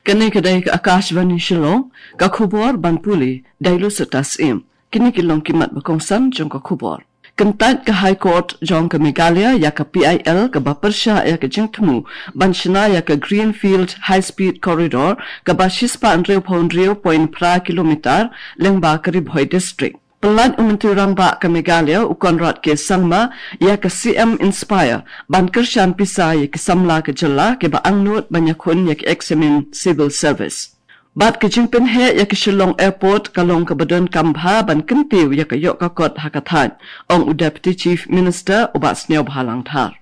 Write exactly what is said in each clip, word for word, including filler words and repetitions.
Kane ka dei ka Akashvani Shillong, ka khubor ban pule da i Lusata Syiem. Kine ki long ki mat ba kongsan jong ka khubor. Kyntait ka High Court jong ka Meghalaya ïa ka P I L kaba pyrshah ïa ka jingthmu ban shna ïa ka Greenfield High Speed Corridor kaba shispah hynriewphew hynriew point phra kilometer lyngba ka Ri Bhoi District. Pynlait u Myntri Rangbah ka Meghalaya u Conrad K Sangma ïa ka C M Inspire ban kyrshan pisa ïa ki samla ka jylla kiba angnud ban ïakhun ïa ki eksamin Civil Service. Bad ka jingpynheh ïa ka Shillong Airport ka long kaba donkam bha ban kyntiew ïa ka ïoh ka kot ha ka thaiñ, ong u Deputy Chief Minister u Bah Sniawbhalang Dhar.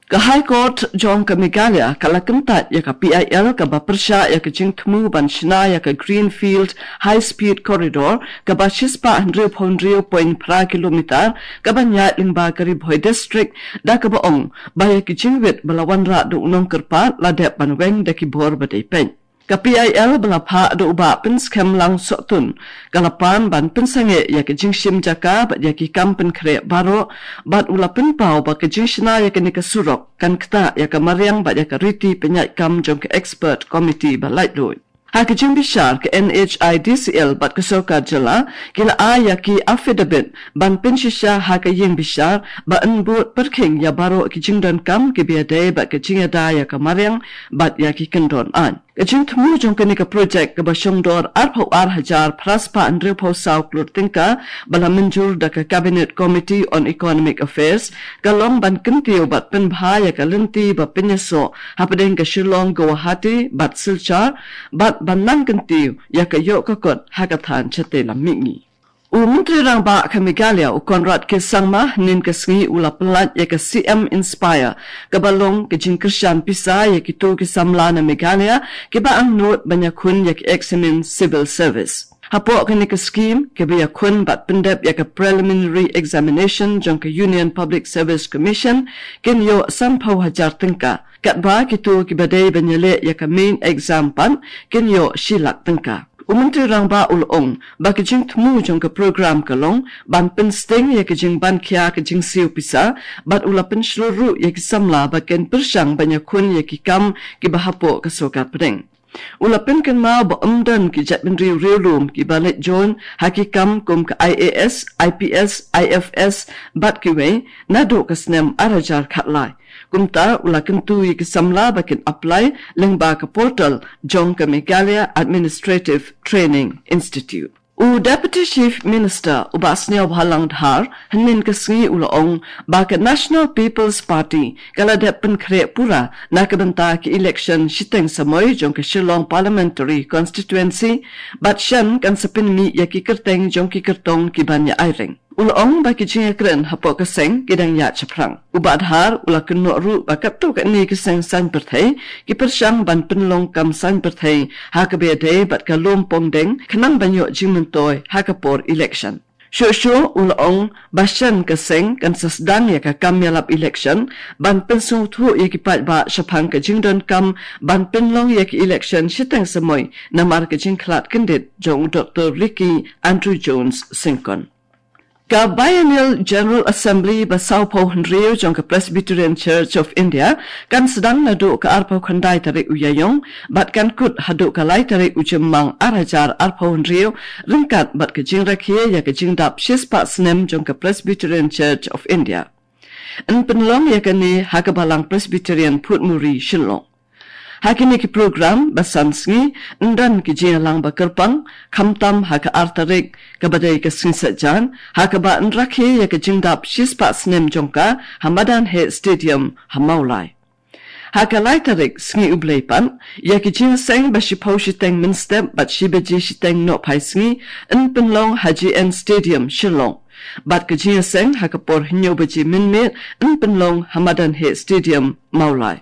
Ka High Court jong ka Meghalaya ka la kyntait ïa ka P I L kaba pyrshah ïa ka jingthmu ban shna ïa ka Greenfield High Speed Corridor kaba shispah hynriewphew hynriew point phra kilometer kaba ïaid lyngba ka Ri Bhoi District, da kaba ong ba ïa ki jingwit ba la wanrah da u nongkyrpad la dep ban weng da ki bor ba dei peit. Ka P I L ba la phah da u Bah Pynskhem Langsohtun ka la pan ban pynsangeh ïa ka jingshim jaka bad ïa ki kam pynkhreh baroh, bad u la pynpaw ba ka jingshna ïa kane ka surok kan ktah ïa ka mariang bad ïa ka riti pynïaid kam jong ka expert committee ba laitluid. Ha ka jingbishar, ka N H I D C L bad ka sorkar jylla ki la ai ïa ki affidavit ban pynshisha ha ka ïing bishar ba yn bud pyrkhing ïa baroh ki jingdonkam kiba ïadei bad ka jingïada ïa ka mariang bad ïa ki kyndon aiñ. Ka jingthmu jong kane ka projek kaba shongdor arphew ar hajar phra spah hynriewphew saw klur tyngka ba la mynjur da ka Cabinet Committee on Economic Affairs ka long ban kyntiew bad pynbha ïa ka lynti ba pynïasoh hapdeng ka Shillong Guwahati bad Silchar, bad ban nang kyntiew ïa ka ïoh ka kot ha ka thaiñ shatei lam mihngi. U Myntri Rangbah ka Meghalaya u Conrad K Sangma hynnin ka sngi u la pynlait ïa ka C M Inspire kaba long ka jingkyrshan pisa ïa kito ki samla na Meghalaya kiba angnud ban ïakhun ïa ki eksamin Civil Service. Hapoh kane ka skim, kiba ïakhun bad pyndep ïa ka Preliminary Examination jong ka Union Public Service Commission kin ïoh sanphew hajar tyngka, katba kito kiba dei ban ïaleh ïa ka Main Exam pat kin ïoh shi lak tyngka. U Myntri Rangbah u la ong ba ka jingthmu jong ka program ka long ban pynsting ïa ka jingbankhia ka jingsiew pisa, bad u la pynshlur ruh ïa ki samla ba kin pyrshang ban ïakhun ïa ki kam kiba hapoh ka sorkar pdeng. U la pynkynmaw ba ym don ki jaitbynriew riewlum kiba leit join ha ki kam kum ka I A S, I P S, I F S bad kiwei naduh ka snem ar hajar khatlai. Kumta u la kyntu ïa ki samla ba kin apply lyngba ka portal jong ka Meghalaya Administrative Training Institute. U Deputy Chief Minister u Bah Sniawbhalang Dhar hynnin ka sngi u la ong ba ka National People's Party ka la dep pynkhreh pura na ka bynta ka election shiteng samoi jong ka Shillong Parliamentary Constituency, bad shen kan sa pynmih ïa ki kyrteng jong ki kyrtong ki ban ïa aireng. U la ong ba ki jingïakren hapoh ka seng ki dang ïaid shaphrang. U Bah Dhar u la kynnoh ruh ba katto katne ki seng saiñ pyrthei ki pyrshang ban pynlong kam saiñ pyrthei ha kaba ïadei bad ka lum pongdeng khnang ban ïoh jingmyntoi ha ka por election. Shuh shuh u la ong ba shen ka seng kan sa sdang ïa ka kam ïalap election ban pynsngewthuh ïa ki paidbah shaphang ka jingdonkam ban pynlong ïa ki election shiteng samoi namar ka jingkhlad kyndit jong u Doktor Ricky Andrew Jones Syngkon. Ka Biennial General Assembly ba sawphew hynriew jong ka Presbyterian Church of India kan sdang naduh ka arphew khyndai tarik u Ïaïong bad kan kut haduh ka lai tarik u Jymmang ar hajar arphew hynriew, ryngkat bad ka jingrakhe ïa ka jingdap shispah snem jong ka Presbyterian Church of India. Yn pynlong ïa kane ha ka Balang Presbyterian Phutmuri, Shillong. Ha kine ki program ba san sngi, yn don ki jingïalang ba kyrpang, khamtam ha ka ar tarik kaba dei ka sngi Saitjaiñ, ha kaba yn rakhe ïa ka jingdap shispah snem jong ka ha Madan Heh Stadium ha Mawlai. Ha ka lai tarik sngi U Blei pat, ïa ki jingïaseng ba shiphew shiteng mynstep bad shi baje shiteng nohphai sngi yn pynlong ha J N Stadium, Shillong. Bad ka jingïaseng ha ka por hynñiew baje mynmiet yn pynlong ha Madan Heh Stadium, Mawlai.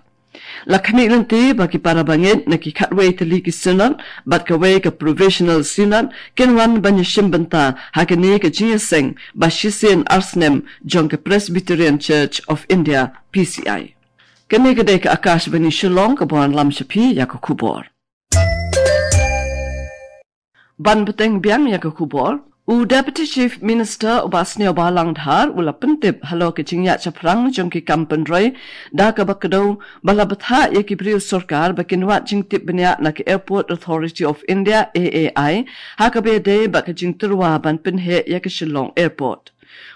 La khmih lynti ba ki para bangeit na ki khatwei tylli ki synod bad kawei ka professional synod kin wan ban ïashim bynta ha kane ka jingïaseng ba shisien ar snem jong ka Presbyterian Church of India, P C I. Kane ka dei ka Akashvani Shillong kaba wanlam sha phi ïa ka khubor. Ban bteng biang ïa ka khubor, U Deputy Chief Minister u Bah Sniawbhalang Dhar u la pyntip halor ka jingïaid shaphrang jong ki kam pynroi da kaba kdew ba la bthah ïa ki briew sorkar ba kin wad jingtip bniah na ka Airport Authority of India, A A I, ha kaba ïadei bad ka jingtyrwa ban pynheh ïa ka Shillong Airport.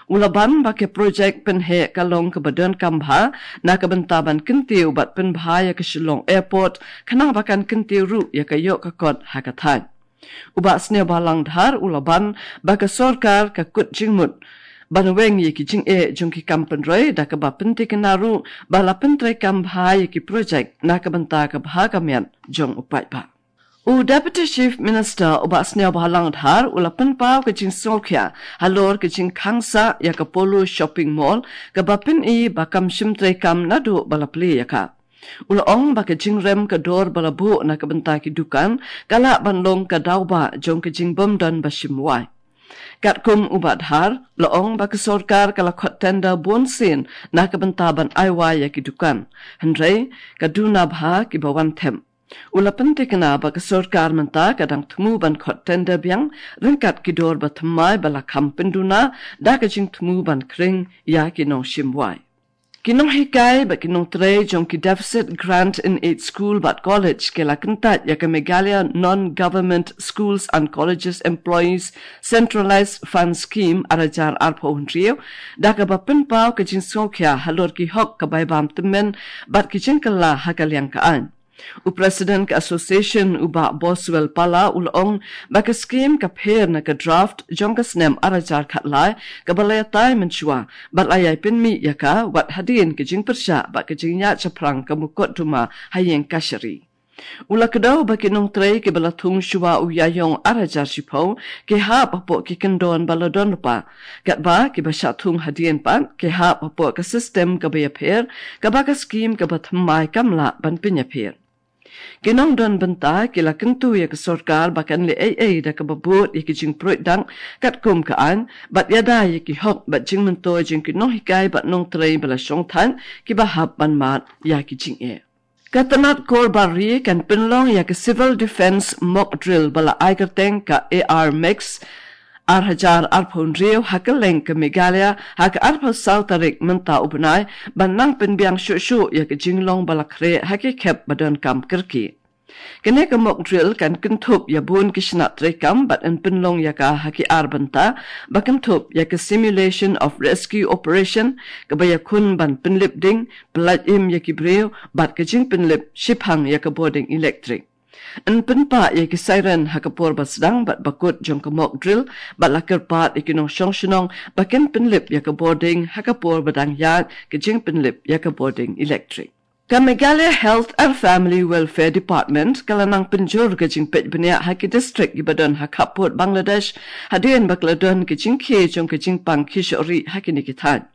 U la ban ba ka projek pynheh ka long kaba donkam bha na ka bynta ban kyntiew bad pynbha ïa ka Shillong Airport, khnang ba kan kyntiew ruh ïa ka ïoh ka kot ha ka thaiñ. U Bah Sniawbhalang Dhar u la ban ba ka sorkar ka kut jingmut ban weng ïa ki jingeh jong ki kam pynroi da kaba pynthikna ruh ba la pyntreikam bha ïa ki projek na ka bynta ka bha ka miat jong u paidbah. U Deputy Chief Minister u Bah Sniawbhalang Dhar u la pynpaw ka jingsngewkhia halor ka jingkhang sah ïa ka Polo Shopping Mall kaba pyni ba kam shym treikam naduh ba la plie ïa ka. U la ong ba ka jingrem ka dor ba la buh na ka bynta ki dukan ka lah ban long ka daw ba jong ka jingbym don ba shim wai. Katkum u Bah Dhar, la ong ba ka sorkar ka la khot tender bun sien na ka bynta ban ai wai ïa ki dukan, hynrei ka duna bha kiba wan them. U la pynthikna ba ka sorkar mynta ka dang thmu ban khot tender biang ryngkat ki dor ba thymmai ba la kham pynduna da ka jingthmu ban khring ïa ki nongshim wai. Ki nonghikai bad ki nongtrei jong ki Deficit Grant in Aid School bad College ki la kyntait ïa ka Meghalaya Non-Government Schools and Colleges Employees Centralized Fund Scheme ar hajar arphew hynriew da kaba pynpaw ka jingsngewkhia halor ki hok ka bai bam tymmen bad ki jingkylla ha ka liang ka aiñ. U President ka Association u Bah Boswell Pala u la ong ba ka skim ka pher na ka draft jong ka snem ar hajar khatlai kaba la ïatai mynshuwa bad la ïai pynmih ïa ka wat hadien ka jingpyrshah bad ka jingïaid shaphrang ka mukotduma ha ïing kashari. U la kdew ba ki nongtrei kiba la thung shuwa u Ïaïong ar hajar shiphew ki hap hapoh ki kyndon ba la don lypa, katba kiba shah thung hadien pat ki hap hapoh ka system kaba ïapher, kaba ka skim kaba thymmai kam lah ban pynïapher. Ki nongdon bynta ki la kyntu ïa ka sorkar ba kan leh ei ei da kaba bud ïa ki jingpruid dang katkum ka aiñ bad ïada ïa ki hok bad jingmyntoi jong ki nonghikai bad nongtrei ba la shongthait kiba hap ban mad ïa ki jingeh. Ka tnat kor bar ri kan pynlong ïa ka Civil Defence Mock Drill ba la ai kyrteng ka A R Max ar hajar arphew hynriew ha kylleng ka Meghalaya ha ka arphew saw tarik mynta u bnai, ban nang pynbiang shuh shuh ïa ka jinglong ba la khreh ha ki khep ba donkam kyrkieh. Kane ka mock drill kan kynthup ïa bun ki shnat treikam bad yn pynlong ïa ka ha ki ar bynta, ba kynthup ïa ka Simulation of Rescue Operation, kaba ïakhun ban pynlip ding, pyllait im ïa ki briew bad ka jingpynlip shiphang ïa ka bording elektrik. Yn pynpah ïa ki siren ha ka por ba sdang bad ba kut jong ka mock drill bad la kyrpad ïa ki nongshong shnong ba kin pynlip ïa ka bording ha ka por ba dang ïaid ka jingpynlip ïa ka bording elektrik. Ka Meghalaya Health and Family Welfare Department ka la nang pynjur ka jingpeit bniah ha ki district kiba don ha khappud Bangladesh, hadien ba ka la don ka jingkhie jong ka jingpang khie shoh rieh ha kine ki thaiñ.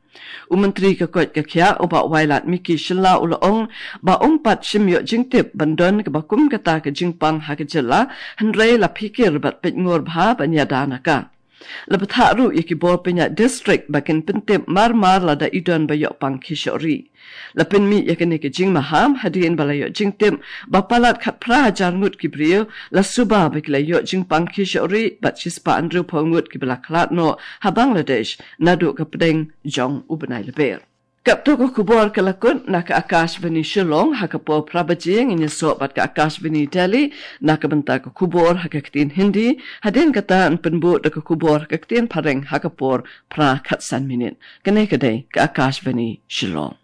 U Myntri ka koit ka khiah u Bah Wailadmiki Shylla u la ong ba um pat shym ïoh jingtip ban don kaba kum kata ka jingpang ha ka jylla, hynrei la phikir bad peit ngor bha ban ïada na ka. La bthah ruh ïa ki bor pynïaid district ba kin pyntip mar mar lada i don ba ïoh pang khie shoh rieh. La pynmih ïa kane ka jingmaham hadien ba la ïoh jingtip ba palat khatphra hajar ngut ki briew la suba ba ki la ïoh jingpang khie shoh rieh bad shispah hynriewphew ngut kiba la khlad noh ha Bangladesh naduh ka pdeng jong u bnai Lber. Katto ka khubor ka la kut na ka Akashvani Shillong. Ha ka por phra baje ngin ïasoh bad ka Akashvani Delhi na ka bynta ka khubor ha ka ktien Hindi. Hadien kata yn pynbud da ka khubor ha ka ktien Phareng ha ka por phra khatsan minit. Kane ka dei ka Akashvani Shillong.